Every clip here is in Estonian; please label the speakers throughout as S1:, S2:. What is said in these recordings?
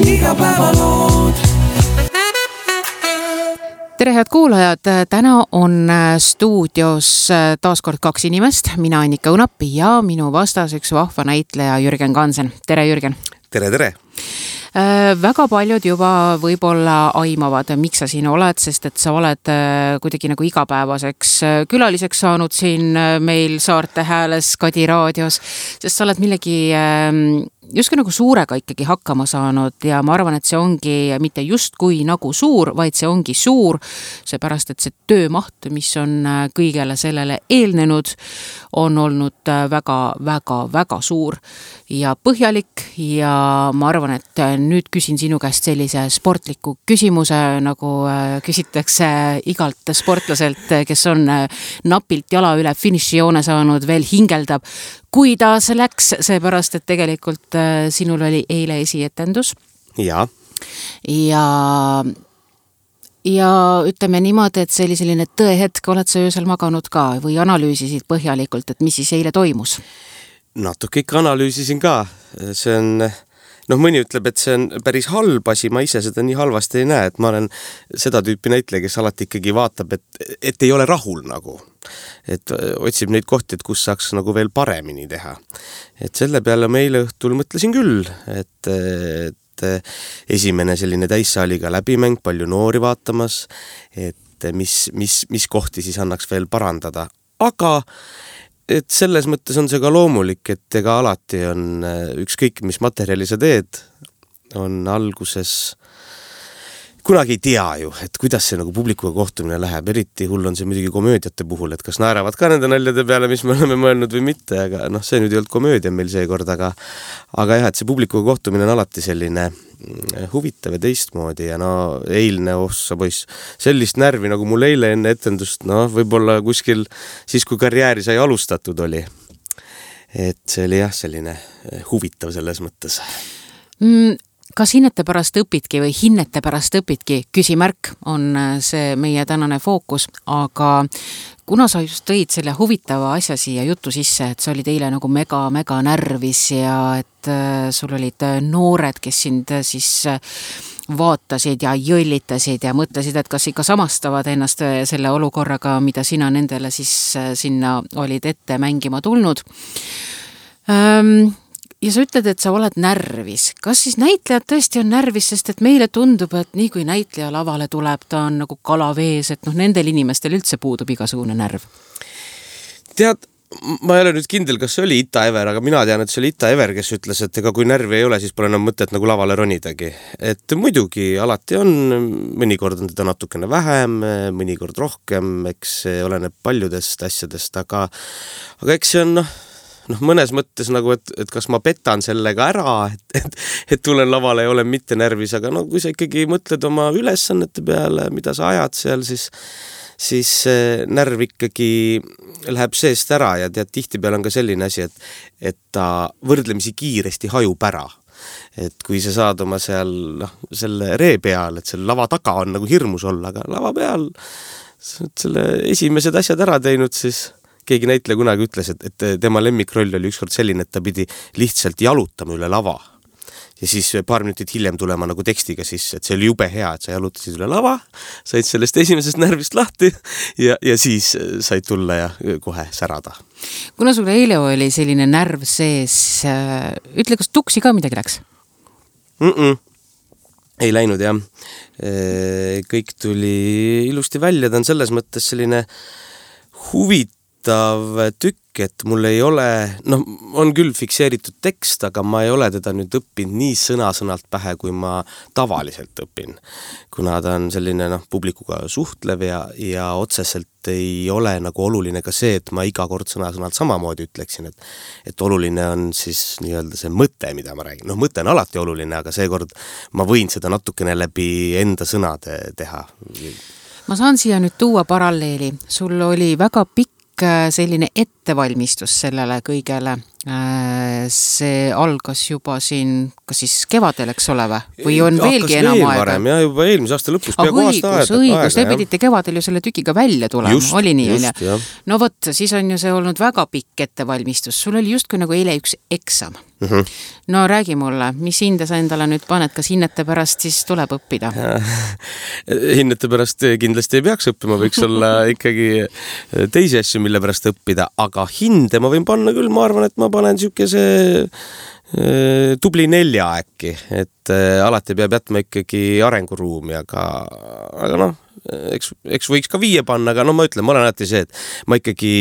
S1: Igapäevalood.
S2: Tere head kuulajad, täna on stuudios taaskord 2 inimest, mina Annika Õunap ja minu vastas üks vahva näitleja Jürgen Kansen. Tere Jürgen!
S3: Tere!
S2: Väga paljud juba võib-olla aimavad, miks sa siin oled, sest et sa oled kuidagi nagu igapäevaseks külaliseks saanud siin meil Saarte Hääles Kadi raadios, sest sa oled millegi justkui nagu suurega ikkagi hakkama saanud ja ma arvan, et see ongi mitte justkui nagu suur, vaid see ongi suur, seepärast, et see töömaht, mis on kõigele sellele eelnenud, on olnud väga suur ja põhjalik ja ma arvan, et nüüd küsin sinu käest sellise sportliku küsimuse, nagu küsitakse igalt sportlaselt, kes on napilt jala üle finišijoone saanud, veel hingeldab. Kuidas läks, seepärast, et tegelikult sinul oli eile esietendus.
S3: Ja ütleme niimoodi, et see oli selline tõehetk, oled sa öösel maganud ka või analüüsisid põhjalikult, et mis siis eile toimus? Natuke ikka analüüsisin ka. See on, mõni ütleb, et see on päris halb asi, ma ise seda nii halvasti ei näe, et ma olen seda tüüpi näitleja, kes alati ikkagi vaatab, et ei ole rahul nagu. Et otsib neid kohti, et kus saaks nagu veel paremini teha. Et selle peale ma eile õhtul mõtlesin küll, et esimene selline täissaaliga läbimäng, palju noori vaatamas, et mis kohti siis annaks veel parandada. Aga et selles mõttes on see ka loomulik, et ega alati on ükskõik, mis materjali sa teed, on alguses kunagi ei tea ju, et kuidas see nagu publikuga kohtumine läheb, eriti hull on see muidugi komöödiate puhul, et kas naeravad ka nende naljade peale, mis me oleme mõelnud või mitte, aga see nüüd ei olnud komöödia meil seekord, aga jah, et see publikuga kohtumine on alati selline huvitav ja teistmoodi ja eilne ossa poiss, sellist närvi nagu mul eile enne etendust, võib-olla kuskil siis, kui karjääri sai alustatud oli. Et see oli jah, selline huvitav selles mõttes.
S2: Kas hinnete pärast õpidki või hinnete pärast õpidki, küsimärk on see meie tänane fookus, aga kuna sa just tõid selle huvitava asja siia jutu sisse, et sa olid eile nagu mega närvis ja et sul olid noored, kes sind siis vaatasid ja jõllitasid ja mõtlesid, et kas ikka samastavad ennast selle olukorraga, mida sina nendele siis sinna olid ette mängima tulnud. Ja sa ütled, et sa oled närvis. Kas siis näitlejad tõesti on närvis, sest et meile tundub, et nii kui näitleja lavale tuleb, ta on nagu kalavees, et nendel inimestel üldse puudub igasugune närv?
S3: Tead, ma ei ole nüüd kindel, kas see oli Ita Ever, aga mina tean, et see oli Ita Ever, kes ütles, et ega kui närvi ei ole, siis pole enam mõtet nagu lavale ronidagi. Et muidugi alati on, mõnikord on teda natukene vähem, mõnikord rohkem, eks see oleneb paljudest asjadest, aga eks see on mõnes mõttes nagu, et kas ma petan sellega ära, et tulen lavale ja olen mitte närvis, aga kui sa ikkagi mõtled oma ülesannete peale, mida sa ajad seal, siis närv ikkagi läheb seest ära ja tihti peal on ka selline asi, et ta võrdlemisi kiiresti hajub ära. Et kui sa saad oma seal selle ree peal, et selle lava taga on nagu hirmus olla, aga lava peal selle esimesed asjad ära teinud, siis keegi näitleja kunagi ütles, et tema lemmikroll oli ükskord selline, et ta pidi lihtsalt jalutama üle lava. Ja siis paar minutit hiljem tulema nagu tekstiga sisse, et see oli jube hea, et sa jalutasid üle lava, said sellest esimesest närvist lahti ja siis said tulla ja kohe särada.
S2: Kuna sul eile oli selline närv sees, ütle, kas tuksi ka midagi läks?
S3: Ei läinud, jah. Kõik tuli ilusti välja, ta on selles mõttes selline huvitav tükk, et mul ei ole, on küll fikseeritud tekst, aga ma ei ole teda nüüd õppinud nii sõna-sõnalt pähe, kui ma tavaliselt õpin. Kuna ta on selline publikuga suhtlev ja otseselt ei ole nagu oluline ka see, et ma iga kord sõna-sõnalt samamoodi ütleksin, et oluline on siis nii-öelda see mõte, mida ma räägin. Mõte on alati oluline, aga seekord ma võin seda natukene läbi enda sõnade teha.
S2: Ma saan siia nüüd tuua paralleeli. Sul oli väga pikk selline ettevalmistus sellele kõigele See algas juba siin, kas siis kevadel, eks ole või on veelgi enam aega?
S3: Varem, ja juba eelmise aasta lõpus peaaegu aasta aega.
S2: Õigus, te pidite kevadel ju selle tükiga välja tulema, oli nii, no vot, siis on ju see olnud väga pikk ettevalmistus, sul oli justkui nagu eile üks eksam. No räägi mulle, mis hinde sa endale nüüd paned, kas hinnete pärast siis tuleb õppida?
S3: Hinnete pärast kindlasti ei peaks õppima, võiks olla ikkagi teisi asju, mille pärast õppida, aga hinde ma võin panna küll, ma arvan, et ma panen sükese tubli 4 äkki, et alati peab jätma ikkagi arenguruumi, aga noh, eks võiks ka 5 panna, aga no ma ütlen, ma olen alati see, et ma ikkagi,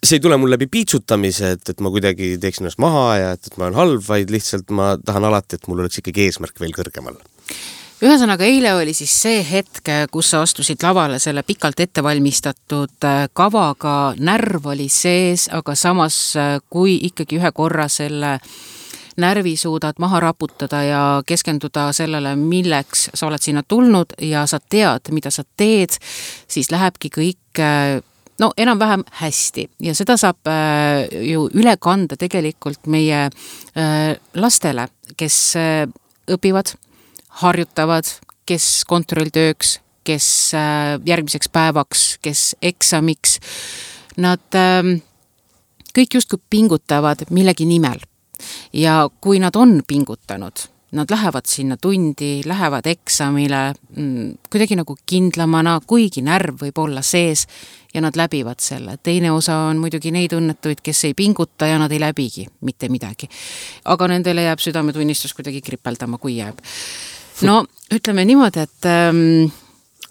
S3: see ei tule mul läbi piitsutamise, et ma kuidagi teeksin ennast maha ja et ma olen halb, vaid lihtsalt ma tahan alati, et mul oleks ikkagi eesmärk veel kõrgemal.
S2: Ühesõnaga, eile oli siis see hetk, kus sa astusid lavale selle pikalt ettevalmistatud kavaga, närv oli sees, aga samas kui ikkagi ühe korra selle närvi suudad maha raputada ja keskenduda sellele, milleks sa oled sinna tulnud ja sa tead, mida sa teed, siis lähebki kõik no enam-vähem hästi ja seda saab ju üle kanda tegelikult meie lastele, kes õpivad, harjutavad, kes kontrolltööks, kes järgmiseks päevaks, kes eksamiks. Nad kõik justkui pingutavad millegi nimel. Ja kui nad on pingutanud, nad lähevad sinna tundi, lähevad eksamile, kuidagi nagu kindlamana, kuigi närv võib olla sees ja nad läbivad selle. Teine osa on muidugi neid õnnetuid, kes ei pinguta ja nad ei läbigi mitte midagi. Aga nendele jääb südametunnistus kuidagi kripeldama, kui jääb. No, ütleme niimoodi, et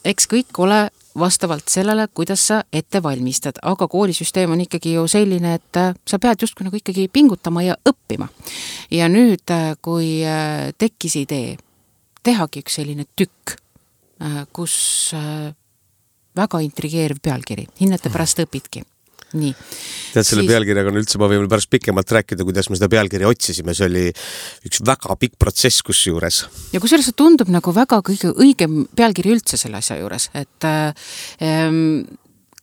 S2: eks kõik ole vastavalt sellele, kuidas sa ette valmistad, aga koolisüsteem on ikkagi ju selline, et sa pead justkui nagu ikkagi pingutama ja õppima. Ja nüüd, kui tekkis idee, tehagi üks selline tükk, kus väga intrigeeriv pealkiri, hinnete pärast õpidki. Nii.
S3: Tead, selle pealkirjaga on üldse, ma võin pärast pikemalt rääkida, kuidas me seda pealkirja otsisime, see oli üks väga pikk protsess kusjuures.
S2: Ja kusjuures see tundub nagu väga kõige õigem pealkiri üldse selle asja juures, et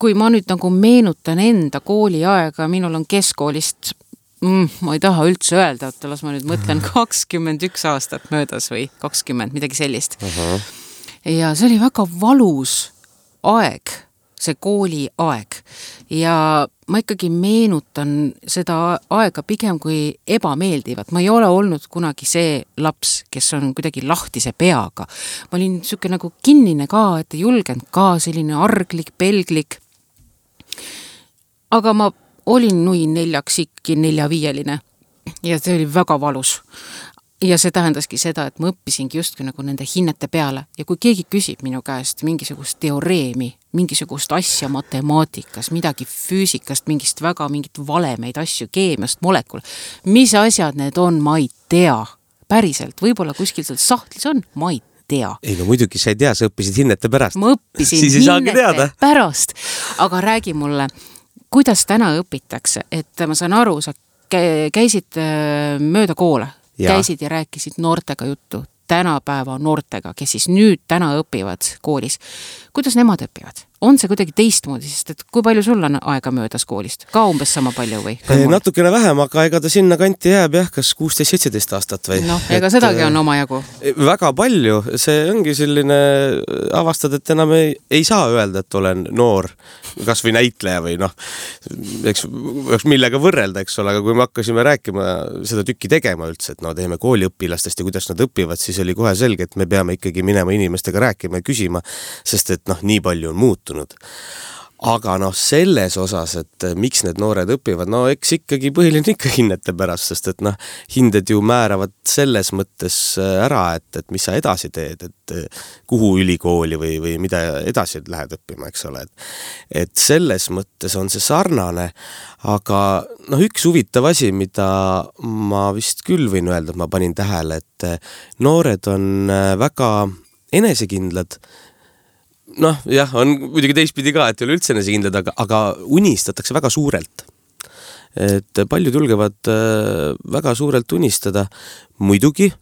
S2: kui ma nüüd nagu meenutan enda kooliaega, minul on keskkoolist, ma ei taha üldse öelda, et las ma nüüd mõtlen 21 aastat möödas või 20, midagi sellist. Ja see oli väga valus aeg, see kooli aeg ja ma ikkagi meenutan seda aega pigem kui ebameeldivat. Ma ei ole olnud kunagi see laps, kes on kuidagi lahtise peaga. Ma olin siuke nagu kinnine ka, et ei julgenud ka selline arglik, pelglik. Aga ma olin nui 4-5 ja see oli väga valus. Ja see tähendaski seda, et ma õppisingi justkui nagu nende hinnete peale. Ja kui keegi küsib minu käest mingisugust teoreemi, mingisugust asja matemaatikas, midagi füüsikast, mingit valemeid asju, keemiast, molekul, mis asjad need on, ma ei tea. Päriselt, võib-olla kuskil seal sahtlis on, ma ei tea.
S3: Ei, no muidugi sa ei tea, sa õppisid hinnete pärast.
S2: Ma õppisin hinnete pärast. Aga räägi mulle, kuidas täna õpitakse, et ma saan aru, sa käisid mööda koole. Käisid ja rääkisid noortega juttu, tänapäeva noortega, kes siis nüüd täna õpivad koolis. Kuidas nemad õpivad? On see kuidagi teistmoodi, sest et kui palju sul on aega möödas koolist? Ka umbes sama palju või?
S3: Natukene vähem, aga ega ta sinna kanti jääb jah, kas 16-17 aastat või?
S2: No, ega sedagi on oma jagu.
S3: Väga palju, see ongi selline avastad, et enam ei saa öelda, et olen noor, kas või näitleja või noh, eks millega võrrelda, eks ole, aga kui me hakkasime rääkima seda tükki tegema üldse, et no teeme kooliõpilastest ja kuidas nad õpivad, siis oli kohe selge, et me peame ikkagi minema inimestega rääkima ja küsima, sest et noh, nii palju on muutunud. Aga noh, selles osas, et miks need noored õpivad, no eks ikkagi põhiline ikka hinnete pärast, sest et noh, hinded ju määravad selles mõttes ära, et mis sa edasi teed, et kuhu ülikooli või mida edasi lähed õppima, eks ole. Et selles mõttes on see sarnane, aga noh, üks huvitav asi, mida ma vist küll võin öelda, et ma panin tähele, et noored on väga enesekindlad. Noh, jah, on muidugi teistpidi ka, et ei ole üldse enesekindlad, aga unistatakse väga suurelt. Et paljud julgevad väga suurelt unistada. Muidugi,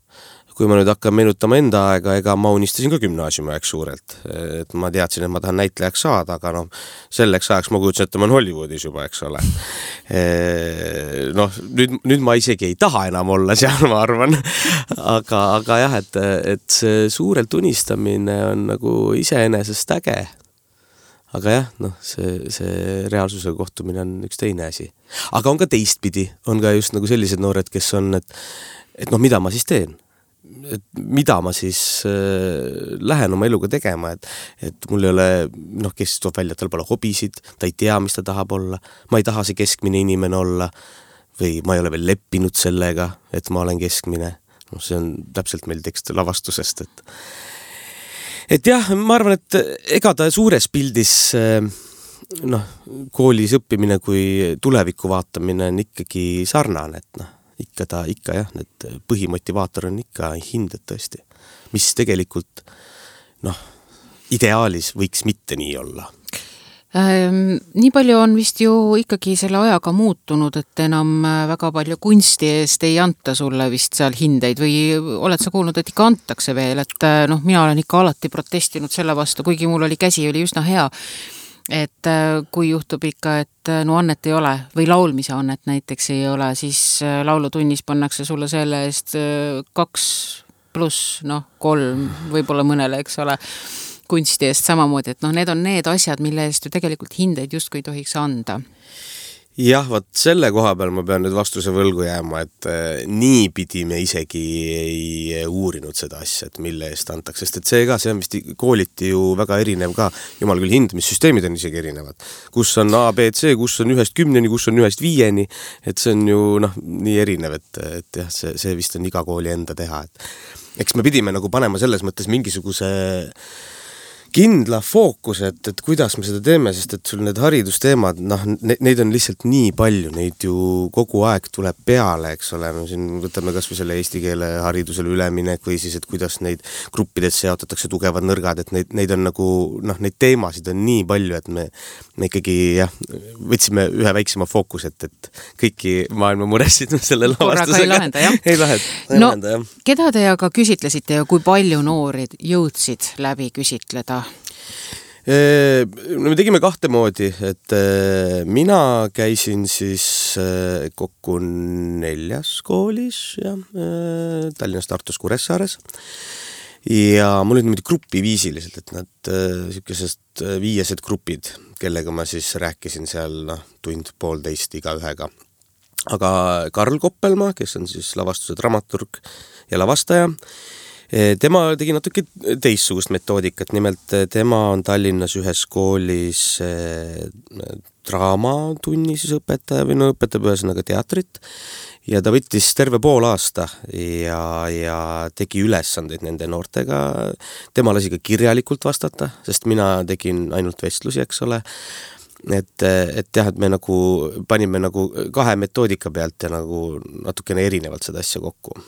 S3: kui ma nüüd hakkan meenutama enda aega, ega ma unistasin ka gümnaasiumi aeg suurelt. Et ma teadsin, et ma tahan näitlejaks saada, aga noh, selleks ajaks ma kujutsin, et ma olen Hollywoodis juba, eks ole. Noh, nüüd ma isegi ei taha enam olla seal, ma arvan. Aga jah, et see suurelt unistamine on nagu iseenesest äge. Aga jah, noh, see reaalsusega kohtumine on üks teine asi. Aga on ka teistpidi, on ka just nagu sellised noored, kes on, et noh, mida ma siis teen? Et mida ma siis lähen oma eluga tegema, et mul ei ole, noh, kes toob välja, tal pole hobisid, ta ei tea, mis ta tahab olla, ma ei taha see keskmine inimene olla või ma ei ole veel leppinud sellega, et ma olen keskmine. No, see on täpselt meil tekst lavastusest, et jah, ma arvan, et ega ta suures pildis noh, koolis õppimine kui tuleviku vaatamine on ikkagi sarnane, et noh, ikka jah, need põhimotivaator on ikka hinded tõesti, mis tegelikult noh, ideaalis võiks mitte nii olla.
S2: Nii palju on vist ju ikkagi selle ajaga muutunud, et enam väga palju kunsti eest ei anta sulle vist seal hindeid või oled sa kuulnud, et ikka antakse veel, et noh, mina olen ikka alati protestinud selle vastu, kuigi mul oli käsi oli üsna hea, et kui juhtub ikka, et no annet ei ole või laulmise annet näiteks ei ole, siis laulutunnis pannakse sulle selle eest 2+, noh 3 võib-olla mõnele, eks ole, kunsti eest samamoodi, et noh, need on need asjad, mille eest ju tegelikult hindeid justkui ei tohiks anda.
S3: Jah, võt selle koha peal ma pean nüüd vastuse võlgu jääma, et niipidi me isegi ei uurinud seda asja, et mille eest antakse, sest et see on vist kooliti ju väga erinev ka, jumal küll hindamissüsteemid on isegi erinevad, kus on A, B, C, kus on 1–10, kus on 1–5, et see on ju noh, nii erinev, et jah, see vist on iga kooli enda teha, et eks me pidime nagu panema selles mõttes mingisuguse kindla fookus, et kuidas me seda teeme, sest et sul need haridusteemad, noh, neid on lihtsalt nii palju, neid ju kogu aeg tuleb peale, eks ole, me siin võtame kas või selle eesti keele haridusele üleminek või siis, et kuidas neid gruppides seotatakse tugevad nõrgad, et neid on nagu, noh, neid teemasid on nii palju, et me ikkagi, jah, võtsime ühe väiksema fookus, et kõiki maailma muresid selle lavastusega
S2: ei lahenda, jah. Keda te aga küsitlesite ja kui palju noori jõudsid läbi küsitleda?
S3: Me tegime 2 moodi, et mina käisin siis kokku 4 koolis, jah, Tallinnas, Tartus, Kuressaares ja mul olid niimoodi grupiviisiliselt, et nad sellised 5 grupid, kellega ma siis rääkisin seal noh, 1–1,5 igaühega. Aga Karl Koppelmaa, kes on siis lavastuse dramaturg ja lavastaja, tema tegi natuke teissugust metoodikat, nimelt tema on Tallinnas ühes koolis draamatunni siis õpetaja või no õpetab ühesõnaga teatrit ja ta võttis terve pool aasta ja tegi ülesandeid nende noortega. Tema lasi ka kirjalikult vastata, sest mina tegin ainult vestlusi, eks ole. Et jah, et me nagu panime nagu 2 metoodika pealt ja nagu natukene erinevalt seda asja kokku.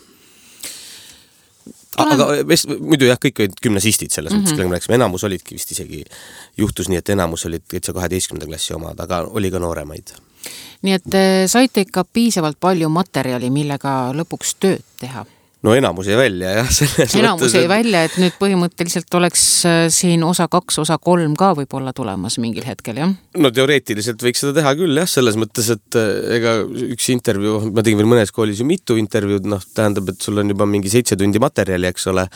S3: Aga muidu jah, kõik olid gümnasistid selles mõttes, kellega me rääksime, enamus olidki vist isegi, juhtus nii, et enamus olid 12. klassi omad, aga oli ka nooremaid.
S2: Nii et saite ikka piisavalt palju materjali, millega lõpuks tööd teha?
S3: No enamus jäi välja, jah.
S2: Enamus jäi välja, et nüüd põhimõtteliselt oleks siin osa 2, osa 3 ka võib-olla tulemas mingil hetkel, jah?
S3: No teoreetiliselt võiks seda teha küll, jah, selles mõttes, et ega üks intervjuu, ma tegin veel mõnes koolis ju mitu intervjuud, noh, tähendab, et sul on juba mingi 7 tundi materjali, eks ole,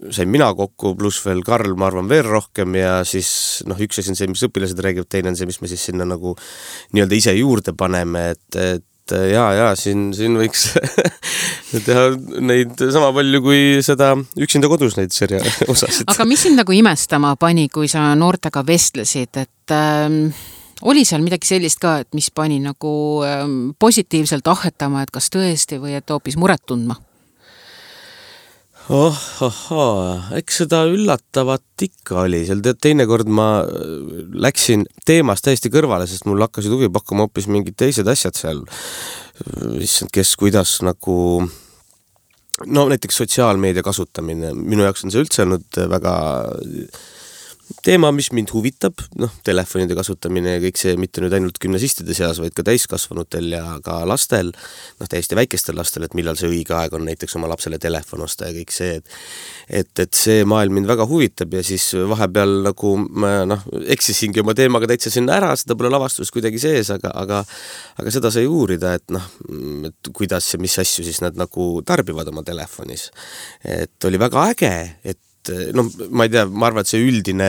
S3: sain mina kokku, pluss veel Karl, ma arvan, veel rohkem ja siis, noh, üks asi on see, mis õpilased räägivad, teine on see, mis me siis sinna nagu nii-öelda ise juurde paneme, et siin võiks teha neid sama palju kui seda üksinda kodus neid serja osasid.
S2: Aga mis sind nagu imestama pani, kui sa noortega vestlesid, et oli seal midagi sellist ka, et mis pani nagu positiivselt ahetama, et kas tõesti või et hoopis muret tundma?
S3: Eks seda üllatavat ikka oli, seal teinekord ma läksin teemast täiesti kõrvale, sest mul hakkasid huvi pakkuma hoopis mingid teised asjad seal, kes kuidas nagu, no näiteks sotsiaalmeedia kasutamine, minu jaoks on see üldse olnud väga teema, mis mind huvitab, telefonide kasutamine ja kõik see mitte nüüd ainult gümnasistide seas, vaid ka täiskasvanutel ja ka lastel, täiesti väikestel lastel, et millal see õige aeg on näiteks oma lapsele telefon osta ja kõik see, et see maailm mind väga huvitab ja siis vahepeal nagu ma eksisingi oma teemaga täitsa sinna ära, seda pole lavastus kuidagi sees, aga seda sai uurida, et kuidas ja mis asju siis nad nagu tarbivad oma telefonis. Et oli väga äge, et ma ei tea, ma arvan, et see üldine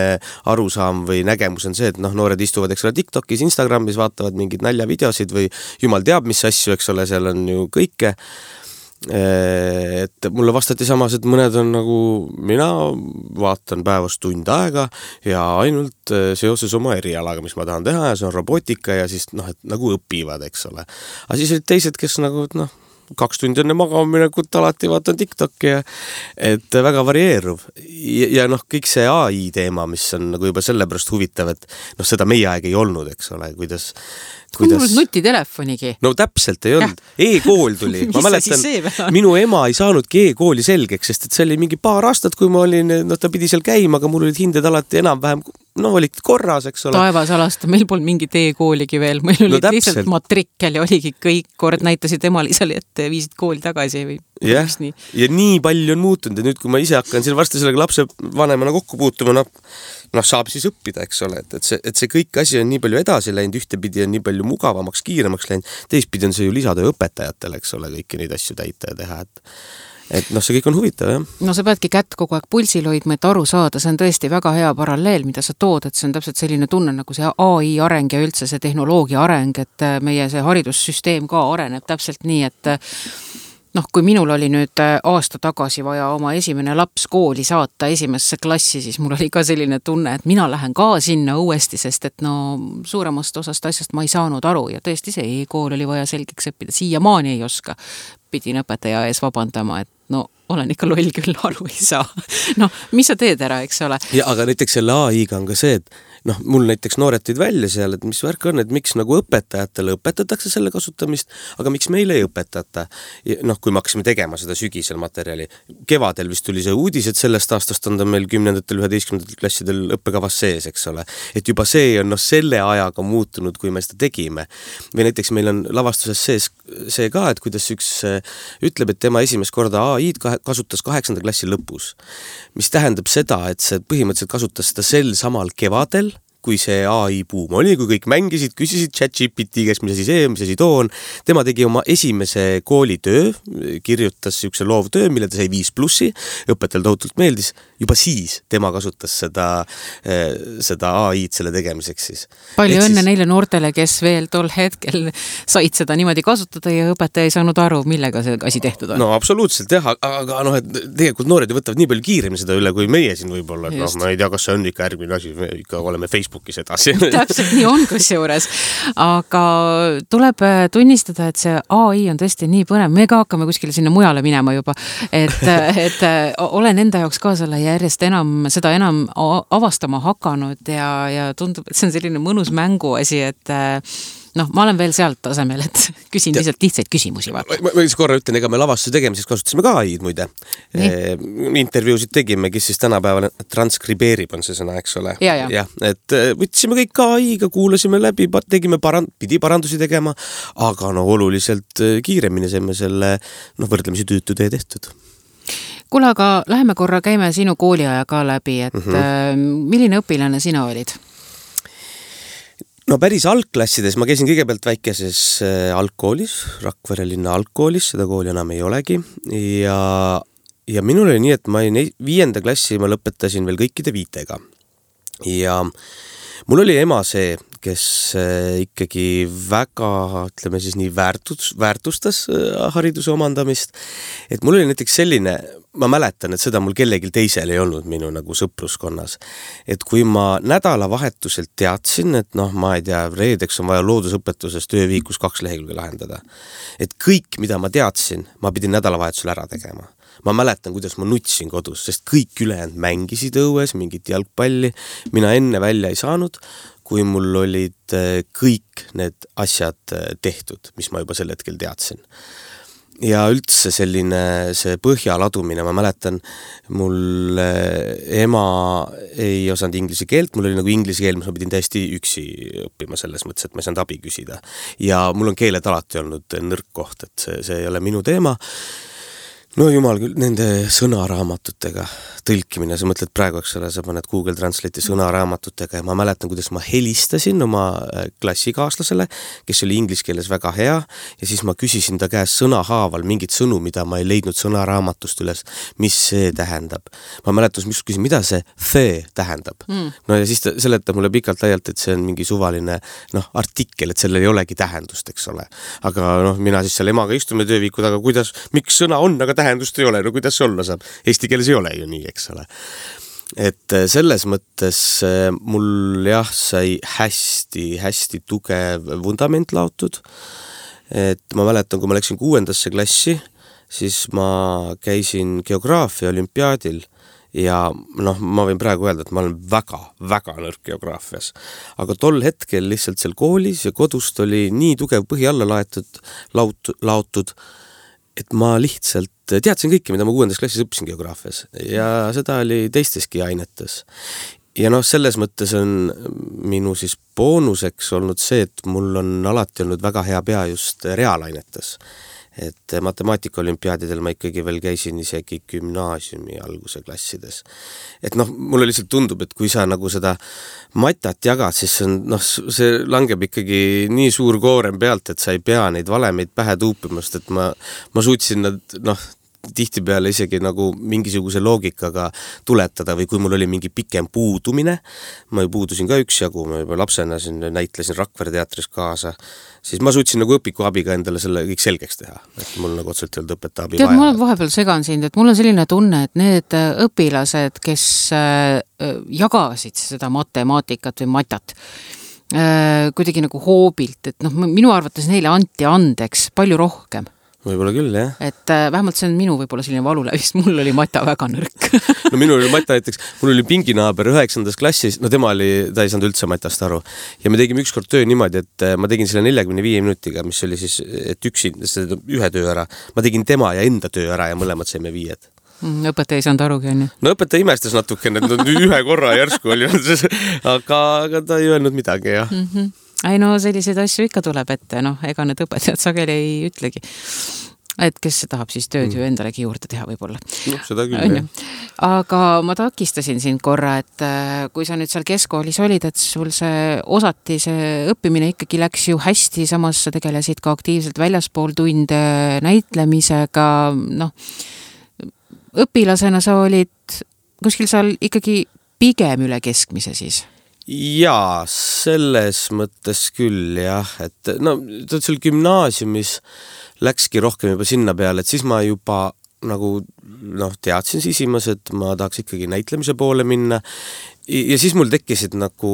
S3: arusaam või nägemus on see, et noored istuvad, eks ole, TikTokis, Instagramis, vaatavad mingeid naljavideosid või jumal teab, mis asju, eks ole, seal on ju kõike. Et mulle vastati samas, et mõned on nagu, mina vaatan päevast tund aega ja ainult seoses oma erialaga, mis ma tahan teha ja see on robotika ja siis et nagu õpivad, eks ole. Aga siis olid teised, kes nagu, 2 tundi enne magaminekut alati vaatan TikTok'i ja et väga varieeruv. Ja kõik see AI teema, mis on nagu juba sellepärast huvitav, et seda meie aeg ei olnud, eks ole, kuidas
S2: mul nutitelefonigi.
S3: No täpselt ei olnud. E-kool tuli. Ma mäletan, minu ema ei saanudki e-kooli selgeks, sest et see oli mingi paar aastat, kui ma olin, ta pidi seal käima, aga mul olid hinded alati enam-vähem, olid korras, eks ole.
S2: Taevas alasta, meil polnud mingit e-kooligi veel, meil olid lihtsalt matrikkel ja oligi kõik, kord näitasid emalisele, et viisid kooli tagasi või
S3: ja nii palju on muutunud ja nüüd, kui ma ise hakkan siin varsti sellega lapse vanemana kokku puutuma, saab siis õppida, eks ole, et see kõik asi on nii palju edasi läinud, ühtepidi on nii palju mugavamaks, kiiremaks läinud, teistpidi on see ju lisatöö õpetajatele, eks ole, kõiki neid asju täita ja teha, et see kõik on huvitav, jah.
S2: Sa peadki kätt kogu aeg pulsil hoidma, et aru saada, see on tõesti väga hea paralleel, mida sa tood, et see on täpselt selline tunne nagu see AI areng ja üldse see tehnoloogia areng, et meie see haridussüsteem ka areneb täpselt nii, et kui minul oli nüüd aasta tagasi vaja oma esimene laps kooli saata esimesse klassi, siis mul oli ka selline tunne, et mina lähen ka sinna uuesti, sest et suuremast osast asjast ma ei saanud aru ja tõesti see e-kool oli vaja selgeks õppida, siiamaani ei oska. Pidin õpetaja ees vabandama, et olen ikka loll küll, aru ei saa. Mis sa teed ära, eks ole?
S3: Ja, aga näiteks selle AI-ga on ka see, et mul näiteks noored tõid välja seal, et mis värk on, et miks nagu õpetajatele õpetatakse selle kasutamist, aga miks meile ei õpetata. Kui me hakkasime tegema seda sügisel materjali. Kevadel vist tuli see uudis, et sellest aastast on ta meil 10. 11. klassidel õppekavas sees, eks ole. Et juba see on selle ajaga muutunud, kui me seda tegime. Või näiteks meil on lavastuses sees see ka, et kuidas üks ütleb, et tema esimest korda AI-d kasutas 8. klassi lõpus. Mis tähendab seda, et see põhimõtteliselt kasutas seda sel samal kevadel, kui see AI buum oli, kui kõik mängisid, küsisid ChatGPT käest, mis asi see, mis asi too on. Tema tegi oma esimese koolitöö, kirjutas üks loovtöö, mille ta sai 5+, õpetajal tohutult meeldis. Juba siis tema kasutas seda AI-d selle tegemiseks siis.
S2: Palju õnne neile noortele, kes veel tol hetkel said seda niimoodi kasutada ja õpetaja ei saanud aru, millega see asi tehtud on.
S3: Absoluutselt jah, aga tegelikult noored võtavad nii palju kiiremini seda üle, kui meie siin võib-olla. Ma ei tea, kas see on ikka järgmine asi, me ikka oleme Facebookis edasi.
S2: Täpselt nii on kusjuures, aga tuleb tunnistada, et see AI on tõesti nii põnev, me ka hakkame kuskile sinna mujale minema juba, et olen enda jaoks ka selle järjest seda enam avastama hakanud ja tundub, et see on selline mõnus mänguasi, et ma olen veel sealt tasemel, et küsin lihtsalt lihtsaid küsimusi.
S3: Ma korra ütlen, ega me lavastuse tegemiseks kasutasime ka AI-d muide. Intervjuusid tegime, kes siis tänapäeval transkribeerib on see sõna, eks ole.
S2: Ja.
S3: Et võtsime kõik AI-ga, kuulasime läbi, pidi parandusi tegema, aga oluliselt kiiremini saime selle võrdlemisi tüütu tee tehtud.
S2: Kuule, aga läheme korra, käime sinu kooliaja ka läbi, et milline õpilane sina olid?
S3: Päris algklassides ma käisin kõigepealt väikeses algkoolis, Rakvere linna algkoolis, seda kooli enam ei olegi ja minul oli nii, et ma 5. klassi ma lõpetasin veel kõikide 5-ga ja mul oli ema see, kes ikkagi väga, ütleme siis nii väärtustas hariduse omandamist, et mul oli näiteks selline, ma mäletan, et seda mul kellelgi teisel ei olnud minu nagu sõpruskonnas, et kui ma nädalavahetuselt teadsin, et ma ei tea, reedeks on vaja loodusõpetuses tööviikus 2 lehekülge lahendada, et kõik, mida ma teadsin, ma pidin nädalavahetusel ära tegema. Ma mäletan, kuidas ma nutsin kodus, sest kõik ülejäänud mängisid õues, mingit jalgpalli, mina enne välja ei saanud, kui mul olid kõik need asjad tehtud, mis ma juba sel hetkel teadsin. ja üldse selline see põhja ladumine, ma mäletan, mul ema ei osanud inglise keelt, mul oli nagu inglise keel, ma pidin täiesti üksi õppima selles mõttes, et ma ei saanud abi küsida. Ja mul on keeled alati olnud nõrk koht, et see ei ole minu teema. No jumal küll, nende sõnaraamatutega tõlkimine, sa mõtled praegu, eks ole, sa paned Google Translate'i sõnaraamatutega ja ma mäletan, kuidas ma helistasin oma klassikaaslasele, kes oli inglise keeles väga hea ja siis ma küsisin ta käest sõnahaaval mingit sõnu, mida ma ei leidnud sõnaraamatust üles, mis see tähendab. Ma mäletan, mis küsin, mida see tähendab. No ja siis ta seletab mulle pikalt laialt, et see on mingi suvaline artikkel, et sellel ei olegi tähendust, eks ole. Aga mina siis seal emaga istume tööviikud, aga kuidas, miks sõna on, aga tähendust ei ole, no kuidas see olla saab? Eesti keeles ei ole ju nii, eks ole. Et selles mõttes mul sai hästi tugev vundament laotud. Et ma mäletan, kui ma läksin 6. klassi, siis ma käisin geograafia olümpiaadil ja ma võin praegu öelda, et ma olen väga nõrk geograafias. Aga tol hetkel lihtsalt seal koolis ja kodust oli nii tugev põhi alla laotud, et ma lihtsalt teadsin kõike, mida ma 6. klassis õppisin geograafias ja seda oli teisteski ainetes. Ja selles mõttes on minu siis boonuseks olnud see, et mul on alati olnud väga hea pea just reaalainetes. Et matemaatika olümpiaadidel ma ikkagi veel käisin isegi gümnaasiumi alguse klassides. Et mulle lihtsalt tundub, et kui sa nagu seda matat jagad, siis see langeb ikkagi nii suur koorem pealt, et sa ei pea neid valemeid pähe tuupimast, et ma suutsin nad tihtipeale isegi nagu mingisuguse loogikaga tuletada või kui mul oli mingi pikem puudumine, ma ju puudusin ka üksjagu, ma juba lapsena näitlesin Rakvere teatris kaasa, siis ma suutsin nagu õpiku abiga endale selle kõik selgeks teha, et mul nagu otseselt ei olnud õpetaja abi vaja.
S2: Ma olen vahepeal segan sind, et mul on selline tunne, et need õpilased, kes jagasid seda matemaatikat või matat, kuidagi nagu hoobilt, et minu arvates neile anti andeks palju rohkem.
S3: Võib-olla küll, jah.
S2: Et vähemalt see on minu võib-olla selline valuläbi, sest mul oli mata väga nõrk.
S3: Minul oli mata näiteks, mul oli pinginaaber 9. klassis, ta ei saanud üldse matast aru. Ja me tegime ükskord töö niimoodi, et ma tegin selle 45 minutiga, mis oli siis, et ühe töö ära. Ma tegin tema ja enda töö ära ja mõlemad saime 5.
S2: Õpetaja ei saanud arugi, on ju?
S3: No õpetaja imestas natukene, et ühe korra järsku oli, aga ta ei öelnud midagi, jah.
S2: Ei selliseid asju ikka tuleb ette, ega need õpetajad sageli ei ütlegi, et kes tahab siis tööd ju endalegi juurde teha võib-olla.
S3: Seda küll, jah.
S2: Aga ma takistasin sind korra, et kui sa nüüd seal keskkoolis olid, et sul see õppimine ikkagi läks ju hästi, samas sa tegelesid ka aktiivselt väljaspool tunde näitlemisega, õpilasena sa olid kuskil seal ikkagi pigem üle keskmise siis?
S3: Jaa, selles mõttes küll, jah, et seal gümnaasiumis läkski rohkem juba sinna peale, et siis ma juba nagu teadsin sisimas, et ma tahaks ikkagi näitlemise poole minna ja siis mul tekkisid nagu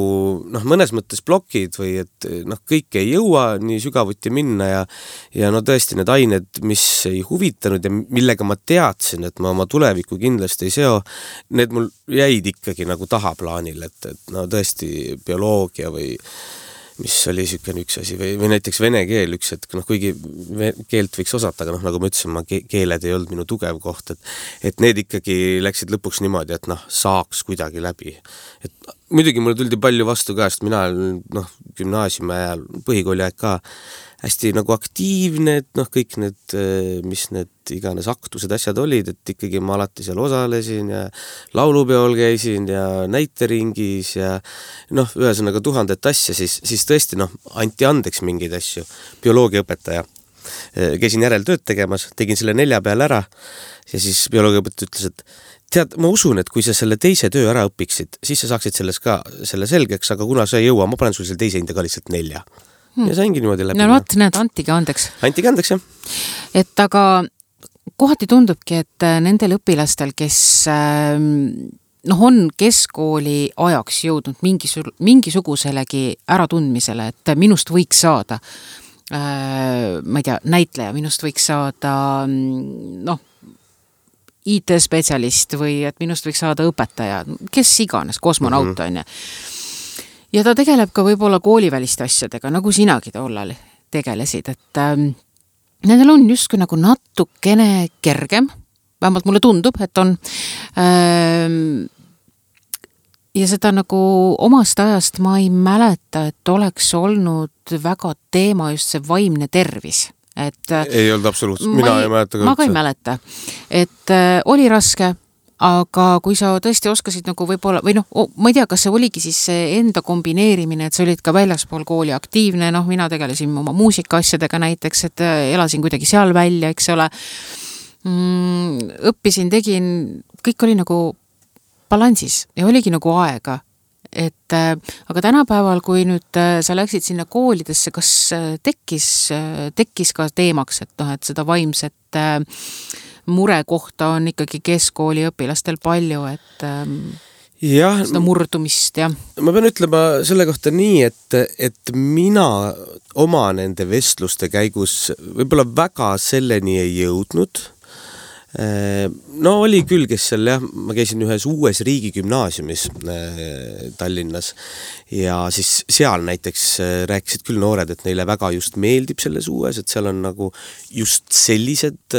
S3: mõnes mõttes plokid või et kõik ei jõua nii sügavuti minna ja tõesti need ained, mis ei huvitanud ja millega ma teadsin, et ma oma tulevikku kindlasti ei seo, need mul jäid ikkagi nagu tahaplaanil, et tõesti bioloogia või mis oli niisugune üks asi või näiteks vene keel üks, et kuigi keelt võiks osata, aga nagu ma ütlesin, keeled ei olnud minu tugev koht, et need ikkagi läksid lõpuks niimoodi, et saaks kuidagi läbi. Et muidugi mulle tuldi palju vastu ka, sest mina gümnaasiumi ajal, põhikooli aeg ka hästi nagu aktiivne, et kõik need, mis need iganes aktused asjad olid, et ikkagi ma alati seal osalesin ja laulupeol käisin ja näiteringis ja ühesõnaga 1000 asja, siis tõesti anti andeks mingeid asju. Bioloogiaõpetaja. Käisin järeltööd tegemas, tegin selle 4 peal ära ja siis bioloogiaõpetaja ütles, et tead, ma usun, et kui sa selle teise töö ära õpiksid, siis sa saaksid selle selgeks, aga kuna sa ei jõua, ma panen sul selle teise hinda ka lihtsalt 4. Ja saingi niimoodi läbi.
S2: Näed, antigi andeks.
S3: Antigi andeks, jah.
S2: Et aga kohati tundubki, et nendel õpilastel, kes on keskkooli ajaks jõudnud mingisuguselegi äratundmisele, et minust võiks saada, ma ei tea, näitleja, minust võiks saada IT-spetsialist või et minust võiks saada õpetaja, kes iganes, kosmonaut on ja. Ja ta tegeleb ka võib-olla kooliväliste asjadega, nagu sinagi tollal tegelesid, et nendel on justkui nagu natukene kergem, vähemalt mulle tundub, et on. Ja seda nagu omast ajast ma ei mäleta, et oleks olnud väga teema just see vaimne tervis. Et,
S3: ei olnud absoluutselt, mina ei mäleta.
S2: Ma ka ei mäleta. Et oli raske, aga kui sa tõesti oskasid nagu võib-olla, või ma ei tea, kas see oligi siis see enda kombineerimine, et sa olid ka väljaspool kooli aktiivne, mina tegelesin oma muusikaasjadega näiteks, et elasin kuidagi seal välja, eks ole. Õppisin, tegin, kõik oli nagu balansis ja oligi nagu aega. Et, aga tänapäeval, kui nüüd sa läksid sinna koolidesse, kas tekkis ka teemaks, et seda vaimset mure kohta on ikkagi keskkooli õpilastel palju, et seda murdumist, jah.
S3: Ma pean ütlema selle kohta nii, et mina oma nende vestluste käigus võib-olla väga selleni ei jõudnud. No oli küll, kes seal, jah, ma käisin ühes uues riigigümnaasiumis Tallinnas ja siis seal näiteks rääkisid küll noored, et neile väga just meeldib selles uues, et seal on nagu just sellised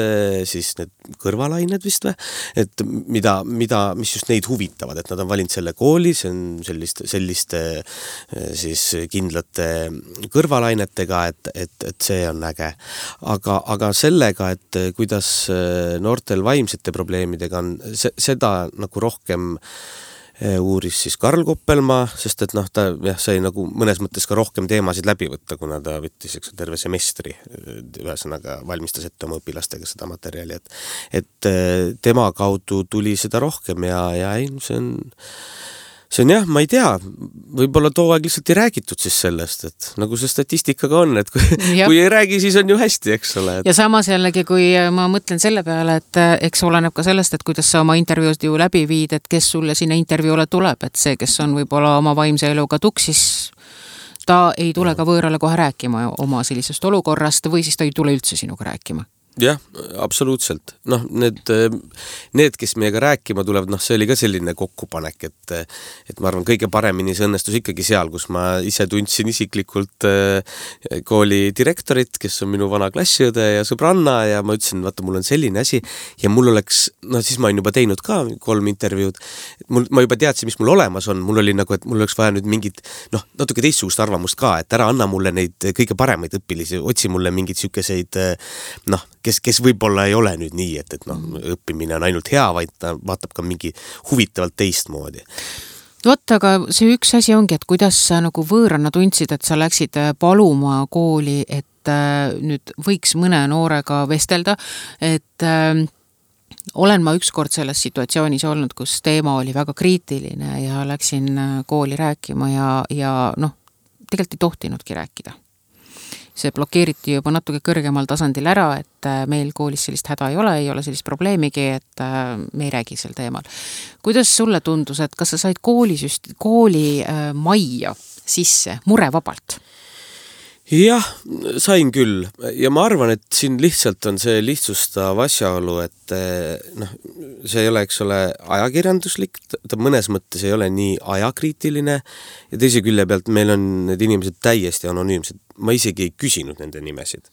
S3: siis need kõrvalained vist või, et mis just neid huvitavad, et nad on valinud selle kooli, see on selliste siis kindlate kõrvalainetega, et see on äge. Aga sellega, et kuidas noortel vaimsete probleemidega on, seda nagu rohkem uuris siis Karl Koppelmaa, sest et ta sai nagu mõnes mõttes ka rohkem teemasid läbi võtta, kuna ta võttis terve semestri, ühesõnaga valmistas ette oma õpilastega seda materjali, et tema kaudu tuli seda rohkem ja ei, see on jah, ma ei tea, võib-olla too aeg lihtsalt ei räägitud siis sellest, et nagu see statistikaga on, et kui ei räägi, siis on ju hästi, eks ole.
S2: Ja samas jällegi, kui ma mõtlen selle peale, et eks oleneb ka sellest, et kuidas sa oma intervjuud ju läbi viid, et kes sulle sinna intervjuule tuleb, et see, kes on võib-olla oma vaimse eluga tuksis, ta ei tule ka võõrale kohe rääkima oma sellisest olukorrast või siis ta ei tule üldse sinuga rääkima.
S3: Jah, absoluutselt. Need, kes meiega rääkima tulevad, see oli ka selline kokkupanek, et ma arvan, kõige paremini see õnnestus ikkagi seal, kus ma ise tundsin isiklikult kooli direktorit, kes on minu vana klassiõde ja sõbranna ja ma ütlesin, vaata, mul on selline asi ja mul oleks, siis ma olen juba teinud ka 3 intervjuud, ma juba teadsin, mis mul olemas on, mul oli nagu, et mul oleks vaja nüüd mingit, natuke teistsugust arvamust ka, et ära anna mulle neid kõige paremaid õpilisi, otsi mulle mingid sükkeseid, kes võib-olla ei ole nüüd nii, et õppimine on ainult hea, vaid ta vaatab ka mingi huvitavalt teistmoodi.
S2: Vot, aga see üks asi ongi, et kuidas sa nagu võõrana tundsid, et sa läksid paluma kooli, et nüüd võiks mõne noorega vestelda, et olen ma ükskord selles situatsioonis olnud, kus teema oli väga kriitiline ja läksin kooli rääkima ja tegelikult ei tohtinudki rääkida. See blokeeriti juba natuke kõrgemal tasandil ära, et meil koolis sellist häda ei ole sellist probleemigi, et me ei räägi sel teemal. Kuidas sulle tundus, et kas sa said kooli majja sisse murevabalt?
S3: Jah, sain küll ja ma arvan, et siin lihtsalt on see lihtsustav asjaolu, et see ei ole, eks ole, ajakirjanduslik, ta mõnes mõttes ei ole nii ajakriitiline ja teise külje pealt meil on need inimesed täiesti anonüümsed. Ma isegi ei küsinud nende nimesid.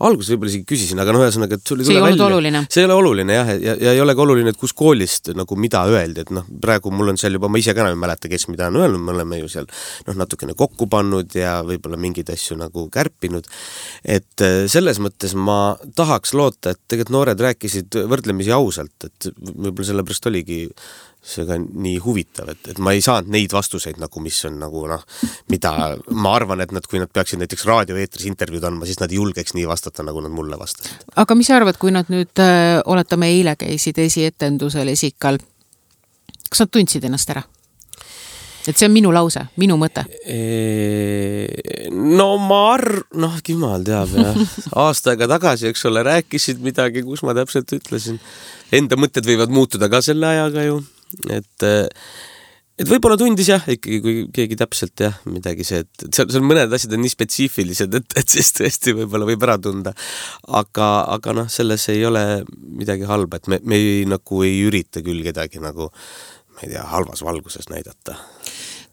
S3: Alguses võib-olla isegi küsisin, aga ühesõnaga, et
S2: see ei olnud oluline.
S3: See ei ole oluline, jah, ja ei ole ka oluline, et kus koolist nagu mida öeldi, et praegu mul on seal juba, ma ise ka ei mäleta, kes mida on öelnud, me oleme ju seal natukene kokku pannud ja võib-olla mingeid asju nagu kärpinud, et selles mõttes ma tahaks loota, et tegelikult noored rääkisid võrdlemisi ausalt, et võib-olla sellepärast oligi see ka nii huvitav, et ma ei saanud neid vastuseid nagu, mis on nagu mida ma arvan, et kui nad peaksid näiteks raadioeetris intervjuud andma, siis nad ei julgeks nii vastata, nagu nad mulle vastasid.
S2: Aga mis sa arvad, kui nad nüüd, oletame eile käisid esietendusel Esikal, kas nad tundsid ennast ära? Et see on minu lause, minu mõte.
S3: Jumal teab, jah. Aasta aega tagasi, eks ole, rääkisid midagi, kus ma täpselt ütlesin. Enda mõtted võivad muutuda ka selle ajaga ju. Et võib-olla tundis jah, ikkagi kui keegi täpselt jah, midagi see, et seal mõned asjad on nii spetsiifilised, et siis tõesti võib-olla võib ära tunda. Aga selles ei ole midagi halba, et me ei ürita küll kedagi nagu, ma ei tea, halvas valguses näidata.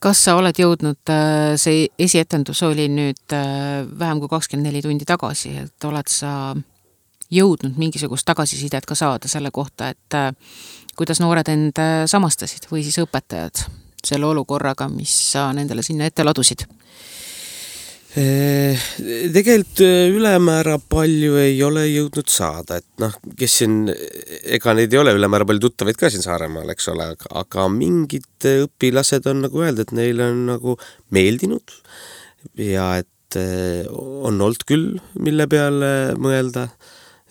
S2: Kas sa oled jõudnud, see esietendus oli nüüd vähem kui 24 tundi tagasi, et oled sa jõudnud mingisugust tagasisidet ka saada selle kohta, et kuidas noored end samastasid või siis õpetajad selle olukorraga, mis sa nendele sinna ette ladusid?
S3: Tegelikult ülemäära palju ei ole jõudnud saada, et kes siin, ega neid ei ole ülemäära palju tuttavaid ka siin Saaremaal, eks ole, aga mingid õpilased on nagu öelda, et neile on nagu meeldinud ja et on olnud küll, mille peale mõelda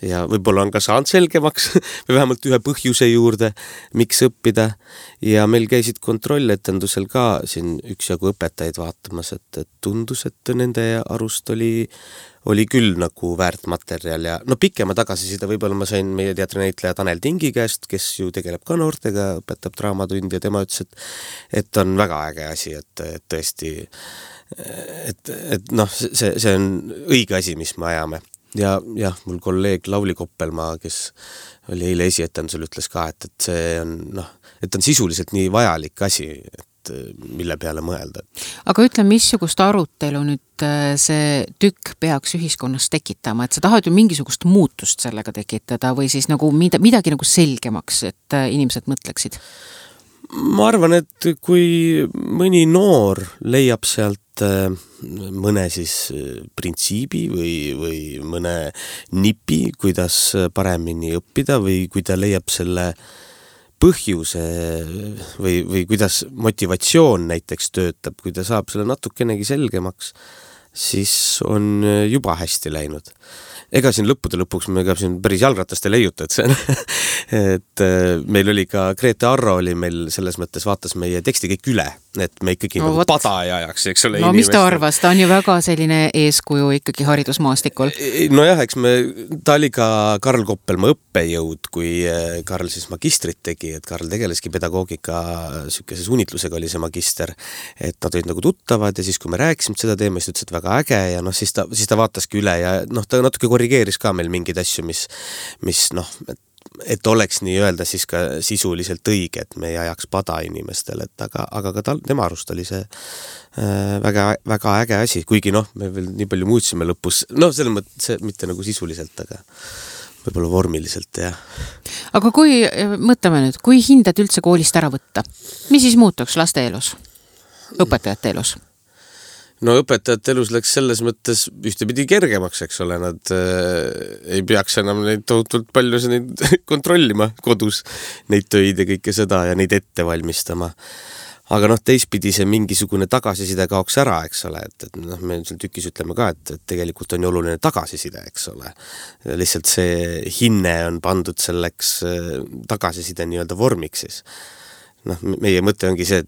S3: ja võib-olla on ka saanud selgemaks või vähemalt ühe põhjuse juurde, miks õppida ja meil käisid kontrolletendusel ka siin üksjagu õpetajaid vaatamas, et tundus, et nende arust oli küll nagu väärt materjal ja pikema tagasisida võib-olla ma sain meie teatrinäitleja Tanel Tingi käest, kes ju tegeleb ka noortega, õpetab draamatundi ja tema ütles, et on väga äge asi, et tõesti see on õige asi, mis me ajame. Ja mul kolleeg Lauli Koppelmaa, kes oli eile esietendusel, ütles ka, et see on, et on sisuliselt nii vajalik asi, et mille peale mõelda.
S2: Aga ütle, missugust arutelu nüüd see tükk peaks ühiskonnas tekitama, et sa tahad ju mingisugust muutust sellega tekitada või siis nagu midagi nagu selgemaks, et inimesed mõtleksid?
S3: Ma arvan, et kui mõni noor leiab sealt mõne siis printsiibi või mõne nipi, kuidas paremini õppida või kui ta leiab selle põhjuse või kuidas motivatsioon näiteks töötab, kui ta saab selle natukenegi selgemaks, siis on juba hästi läinud. Ega siin lõppude lõpuks me ka siin päris jalgratast ei leiuta, et see et meil oli ka Grete Arro oli meil selles mõttes vaatas meie teksti kõik üle, et me ikkagi nagu pada ei ajaks, eks ole.
S2: No mis ta arvas, ta on ju väga selline eeskuju ikkagi haridusmaastikul.
S3: Nojah, eks ta oli ka Karl Koppelmaa õppejõud, kui Karl siis magistrit tegi, et Karl tegeleski pedagoogika sükkeses unitlusega oli see magister, et nad olid nagu tuttavad ja siis kui me rääkisime seda teema, siis ütles, et väga äge ja siis ta vaataski üle ja ta natuke korrigeeris ka meil mingeid asju, mis et oleks nii öelda siis ka sisuliselt õige, et me ei ajaks pada inimestel, aga ka tema arust oli see väga, väga äge asi, kuigi me veel nii palju muutsime lõpus, selles mõttes mitte nagu sisuliselt, aga võib-olla vormiliselt, jah.
S2: Aga mõtleme nüüd, kui hinded üldse koolist ära võtta, mis siis muutuks laste elus, õpetajate elus?
S3: Õpetajate elus läks selles mõttes ühtepidi kergemaks, eks ole, nad ei peaks enam neid tohutult palju neid kontrollima kodus, neid töid ja kõike seda ja neid ette valmistama. Aga teistpidi see mingisugune tagasiside kaoks ära, eks ole, et me seal tükis ütleme ka, et tegelikult on ju oluline tagasiside, eks ole. Lihtsalt see hinne on pandud selleks tagasiside nii-öelda vormiks siis. Meie mõte ongi see,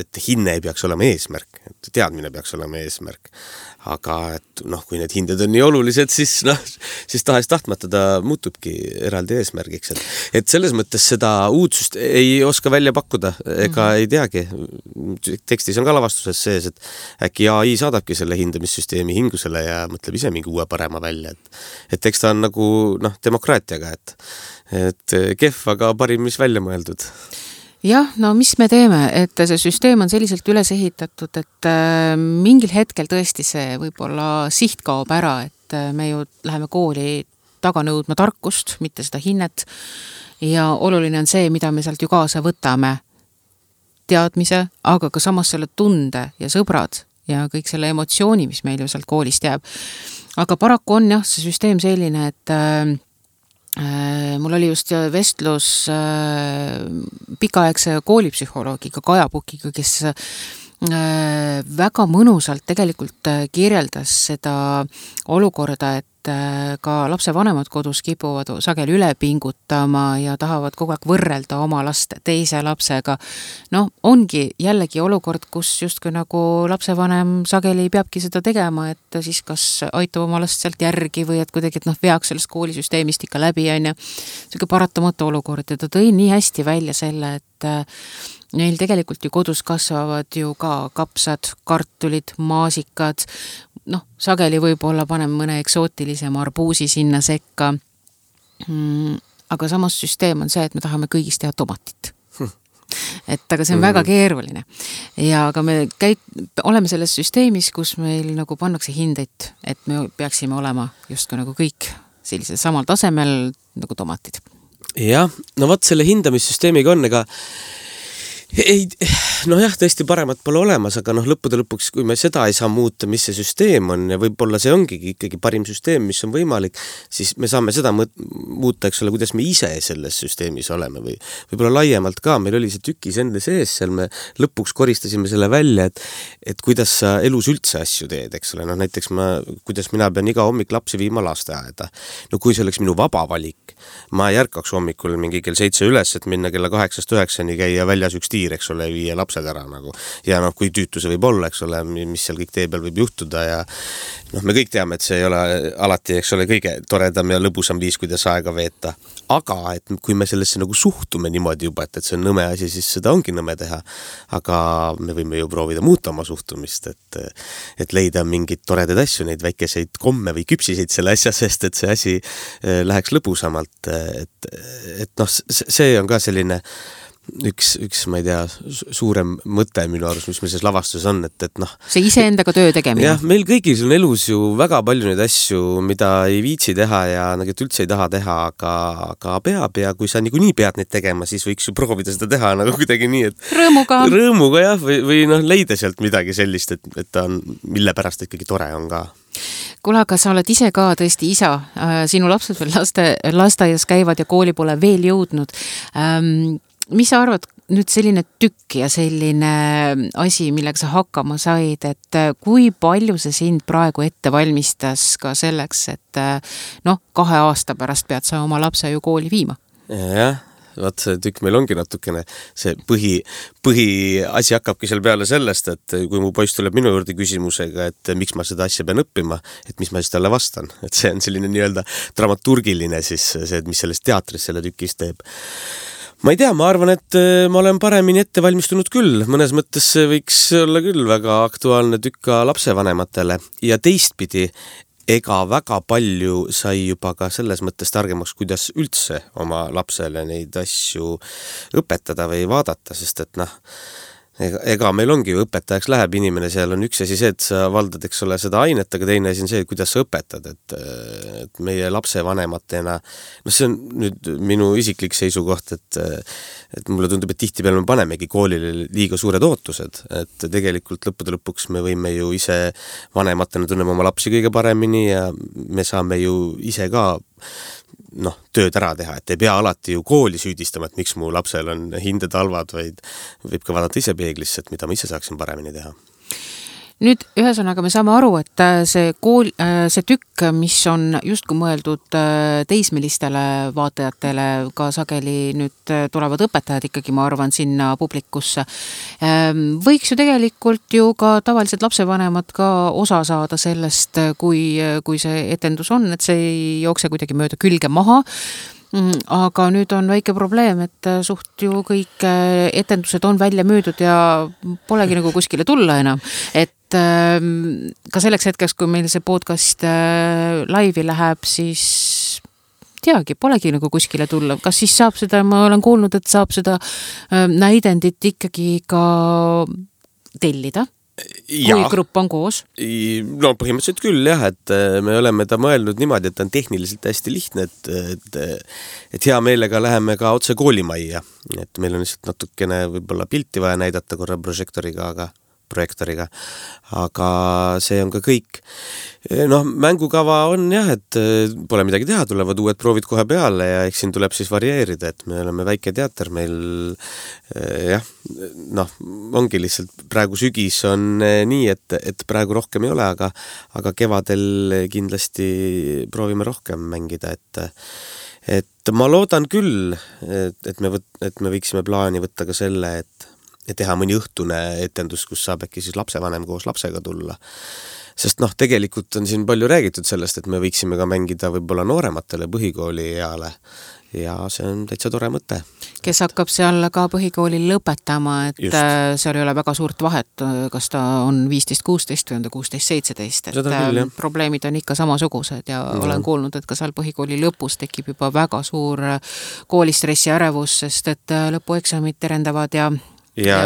S3: et hinne ei peaks olema eesmärk, et teadmine peaks olema eesmärk. Aga et kui need hinded on nii olulised, siis tahes-tahtmata ta muutubki eraldi eesmärgiks. Et selles mõttes seda uudsust ei oska välja pakkuda, ega ei teagi. Tekstis on ka lavastuses sees, et äkki AI saadabki selle hindamissüsteemi hingusele ja mõtleb ise mingi uue parema välja. Et eks ta on nagu demokraatiaga, et kehv, aga parim, mis välja mõeldud.
S2: Jah, mis me teeme, et see süsteem on selliselt üles ehitatud, et mingil hetkel tõesti see võib-olla siht kaob ära, et me ju läheme kooli taga nõudma tarkust, mitte seda hinnet ja oluline on see, mida me sealt ju kaasa võtame, teadmise, aga ka samas selle tunde ja sõbrad ja kõik selle emotsiooni, mis meil ju sealt koolist jääb. Aga paraku on jah, see süsteem selline, et mul oli just vestlus pikaaegse koolipsühholoogiga Kaja Pukiga, kes väga mõnusalt tegelikult kirjeldas seda olukorda, et ka lapsevanemad kodus kipuvad sageli üle pingutama ja tahavad kogu aeg võrrelda oma last teise lapsega. Ongi jällegi olukord, kus justkui nagu lapsevanem sageli peabki seda tegema, et siis kas aitab oma last sealt järgi või et kuidagi, et veaks sellest koolisüsteemist ikka läbi, on ja selline paratamatu olukord ja ta tõi nii hästi välja selle, et neil tegelikult ju kodus kasvavad ju ka kapsad, kartulid, maasikad, sageli võib-olla paneme mõne eksootilisem arbuusi sinna sekka. Aga samas süsteem on see, et me tahame kõigist teha tomatit. Et aga see on väga keeruline. Ja aga me oleme selles süsteemis, kus meil nagu pannakse hindeid, et me peaksime olema justkui nagu kõik sellisel samal tasemel nagu tomatid.
S3: Jah, no vaat selle hindamissüsteemiga on, ega ei, jah, tõesti paremat pole olemas, aga lõppude lõpuks, kui me seda ei saa muuta, mis see süsteem on ja võib-olla see ongi ikkagi parim süsteem, mis on võimalik, siis me saame seda muuta, eks ole, kuidas me ise selles süsteemis oleme või võib-olla laiemalt ka, meil oli see tükis enda sees, seal me lõpuks koristasime selle välja, et kuidas sa elus üldse asju teed, eks ole, näiteks kuidas mina pean iga hommik lapsi viima lasteaeda. No kui see oleks minu vaba valik, ma ei ärkaks hommikul mingi kell 7 üles, et minna kella 8-9 käia väljas üks eks ole, viia lapsed ära nagu. Ja kui tüütu see võib olla, eks ole, mis seal kõik tee peal võib juhtuda ja me kõik teame, et see ei ole alati, eks ole, kõige toredam ja lõbusam viis, kuidas aega veeta. Aga et kui me sellesse nagu suhtume niimoodi juba, et see on nõme asi, siis seda ongi nõme teha. Aga me võime ju proovida muuta oma suhtumist, et leida mingid toredad asju, neid väikeseid komme või küpsiseid selle asja, sest et see asi läheks lõbusamalt. Et see on ka selline üks, ma ei tea, suurem mõte minu arust, mis meil selles lavastus on, et
S2: see iseendaga töö tegemine.
S3: Jah, meil kõigil on elus ju väga palju neid asju, mida ei viitsi teha ja nagu üldse ei taha teha, aga peab ja kui sa niikuinii pead neid tegema, siis võiks ju proovida seda teha nagu kuidagi nii, et rõõmuga jah, või leida sealt midagi sellist, et ta on, mille pärast ikkagi tore on ka.
S2: Kuule, aga sa oled ise ka tõesti isa, sinu lapsed veel lasteaias käivad ja kooli pole veel jõudnud. Mis sa arvad, nüüd selline tükk ja selline asi, millega sa hakkama said, et kui palju see sind praegu ette valmistas ka selleks, et 2 aasta pärast pead sa oma lapse ju kooli viima?
S3: Jah, vaat see tükk meil ongi natukene, see põhiasi hakkabki seal peale sellest, et kui mu poiss tuleb minu juurde küsimusega, et miks ma seda asja pean õppima, et mis ma siis talle vastan. Et see on selline nii-öelda dramaturgiline siis see, mis selles teatris selle tükis teeb. Ma ei tea, ma arvan, et ma olen paremini ette valmistunud küll. Mõnes mõttes see võiks olla küll väga aktuaalne tükk ka lapsevanematele. Ja teistpidi, ega väga palju sai juba ka selles mõttes targemaks, kuidas üldse oma lapsele neid asju õpetada või vaadata, sest et ega meil ongi ju õpetajaks läheb inimene, seal on üks asi see, et sa valdad, eks ole, seda ainet, aga teine asi on see, kuidas sa õpetad, et meie lapsevanematena, see on nüüd minu isiklik seisukoht, et mulle tundub, et tihtipeale me panemegi koolile liiga suured ootused, et tegelikult lõppude lõpuks me võime ju ise vanematena tunneme oma lapsi kõige paremini ja me saame ju ise ka tööd ära teha, et ei pea alati ju kooli süüdistama, et miks mu lapsel on hinded halvad, vaid võib ka vaadata ise peeglisse, et mida ma ise saaksin paremini teha.
S2: Nüüd ühesõnaga me saame aru, et see tükk, mis on justkui mõeldud teismelistele vaatajatele, ka sageli nüüd tulevad õpetajad ikkagi, ma arvan, sinna publikusse. Võiks ju tegelikult ju ka tavalised lapsevanemad ka osa saada sellest, kui see etendus on, et see ei jookse kuidagi mööda külge maha. Aga nüüd on väike probleem, et suht ju kõik etendused on välja müüdud ja polegi nagu kuskile tulla enam. Et ka selleks hetkeks, kui meil see podcast laivi läheb, siis teagi, polegi nagu kuskile tulla. Kas siis saab seda, ma olen kuulnud, et saab seda näidendit ikkagi ka tellida? Kui grupp on koos?
S3: No põhimõtteliselt küll jah, et me oleme ta mõelnud niimoodi, et ta on tehniliselt hästi lihtne, et hea meelega läheme ka otse koolimajja, et meil on lihtsalt natukene võib-olla pilti vaja näidata korra projektoriga, aga see on ka kõik. Mängukava on jah, et pole midagi teha, tulevad uued proovid kohe peale ja eks siin tuleb siis varieerida, et me oleme väike teater, meil ongi lihtsalt praegu sügis on nii, et praegu rohkem ei ole, aga kevadel kindlasti proovime rohkem mängida, et ma loodan küll, et me võiksime plaani võtta ka selle, et teha mõni õhtune etendus, kus saab äkki siis lapsevanem koos lapsega tulla. Sest tegelikult on siin palju räägitud sellest, et me võiksime ka mängida võib-olla noorematele põhikooli eale ja see on täitsa tore mõte.
S2: Kes hakkab seal ka põhikooli lõpetama, et just. Seal ei ole väga suurt vahet, kas ta on 15-16 või on ta 16-17, et probleemid on ikka samasugused ja olen kuulnud, et ka seal põhikooli lõpus tekib juba väga suur koolistressi ärevus, sest et lõpueksamid terendavad ja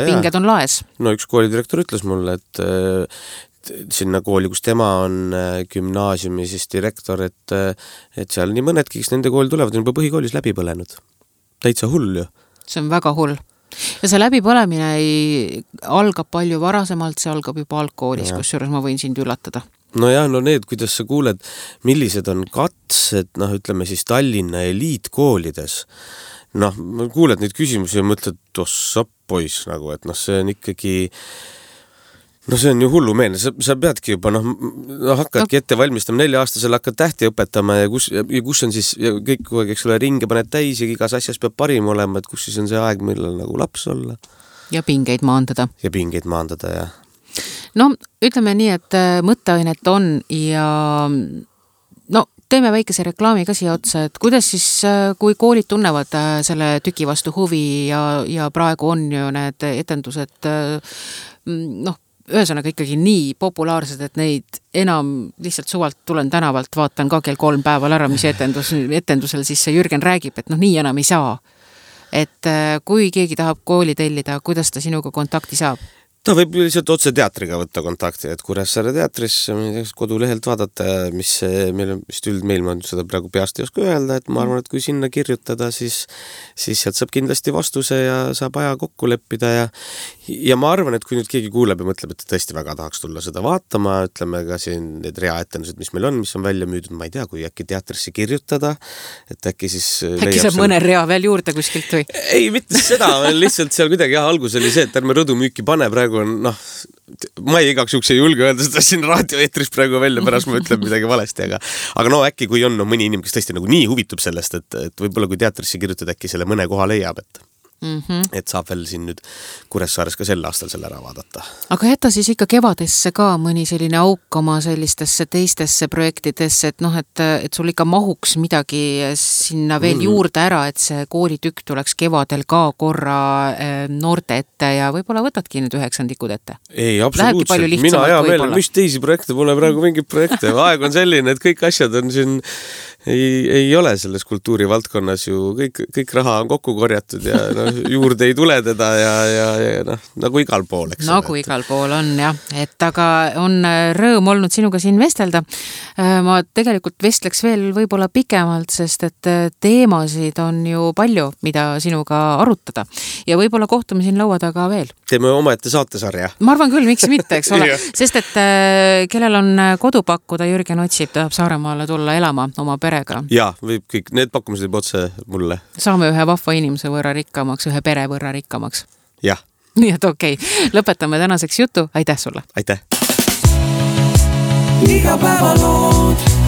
S2: pinged on laes.
S3: No üks koolidirektor ütles mulle, et sinna kooli, kus tema on gümnaasiumi siis direktor, et seal nii mõnedki, kes nende kooli tulevad, on juba põhikoolis läbi põlenud. Täitsa hull ju.
S2: See on väga hull. Ja see läbipõlemine algab palju varasemalt, see algab juba algkoolis, kusjuures ma võin sind üllatada.
S3: No jah, no need, kuidas sa kuuled, millised on katsed, ütleme siis Tallinna eliitkoolides. Kuuled neid küsimusi ja mõtled, ossa poiss nagu, et see on ikkagi... see on ju hullumeelne, sa peadki juba, hakkadki ette valmistama 4-aastasel, hakkad tähti õpetama ja kus on siis kõik, eks ole, ringe paned täis ja igas asjas peab parim olema, et kus siis on see aeg, millal nagu laps olla.
S2: Ja pingeid maandada.
S3: Ja
S2: ütleme nii, et mõtteainet on ja teeme väikese reklaami ka siia otsa, et kuidas siis, kui koolid tunnevad selle tüki vastu huvi ja praegu on ju need etendused, ühesõnaga ikkagi nii populaarsed, et neid enam lihtsalt suvalt tulen tänavalt, vaatan ka kell 3 päeval ära, mis etendusel siis see Jürgen räägib, et nii enam ei saa. Et kui keegi tahab kooli tellida, kuidas ta sinuga kontakti saab?
S3: Ta võib lihtsalt otse teatriga võtta kontakti, et Kuressaare teatris kodulehelt vaadata, mis üldmeil ma seda praegu peast ei oska öelda, et ma arvan, et kui sinna kirjutada, siis sealt saab kindlasti vastuse ja saab aja kokku leppida ja ma arvan, et kui nüüd keegi kuuleb ja mõtleb, et tõesti väga tahaks tulla seda vaatama, ütleme ka siin need reaetendused, mis meil on, mis on välja müüdud, ma ei tea, kui äkki teatrisse kirjutada, et äkki siis
S2: äkki saab mõne rea veel juurde kuskilt või?
S3: Ei, mitte seda, lihtsalt seal kuidagi algus oli see, et ärme rõdumüüki pane praegu on, ma igaks juhuks ei julge öelda seda siin raadioeetris praegu välja, pärast ma ütlen midagi valesti, aga äkki kui on mõni inimene, kes tõesti nagu nii huvitub sellest, et võib-olla kui teatrisse kirjutada, äkki selle mõne koha leiab, et saab veel siin nüüd Kuressaares ka sel aastal selle ära vaadata.
S2: Aga jätta siis ikka kevadesse ka mõni selline auk oma sellistesse teistesse projektidesse, et sul ikka mahuks midagi sinna veel juurde ära, et see koolitükk tuleks kevadel ka korra noorte ette ja võib-olla võtadki nüüd 9-ndikud ette.
S3: Ei, absoluutselt. Mina hea meele, mis teisi projekte pole praegu mingit projekte. Aeg on selline, et kõik asjad on siin ei ole selles kultuurivaldkonnas ju, kõik raha on kokku korjatud ja juurde ei tule teda ja nagu igal pool, eks.
S2: Nagu igal pool on, jah. Et aga on rõõm olnud sinuga siin vestelda. Ma tegelikult vestleks veel võib-olla pikemalt, sest et teemasid on ju palju, mida sinuga arutada. Ja võib-olla kohtume siin laua taga veel.
S3: Teeme omaette saatesarja.
S2: Ma arvan küll, miks mitte, eks ole. Sest et kellel on kodu pakkuda, Jürgen otsib, tahab Saaremaale tulla elama oma perega.
S3: Jaa, võib kõik, need pakkumised juba otse mulle.
S2: Saame ühe vahva inimese võrra rikkamaks, ühe pere võrra rikkamaks.
S3: Jah.
S2: Nii et okei, lõpetame tänaseks jutu. Aitäh sulle.
S3: Aitäh.
S1: Iga päeva lood.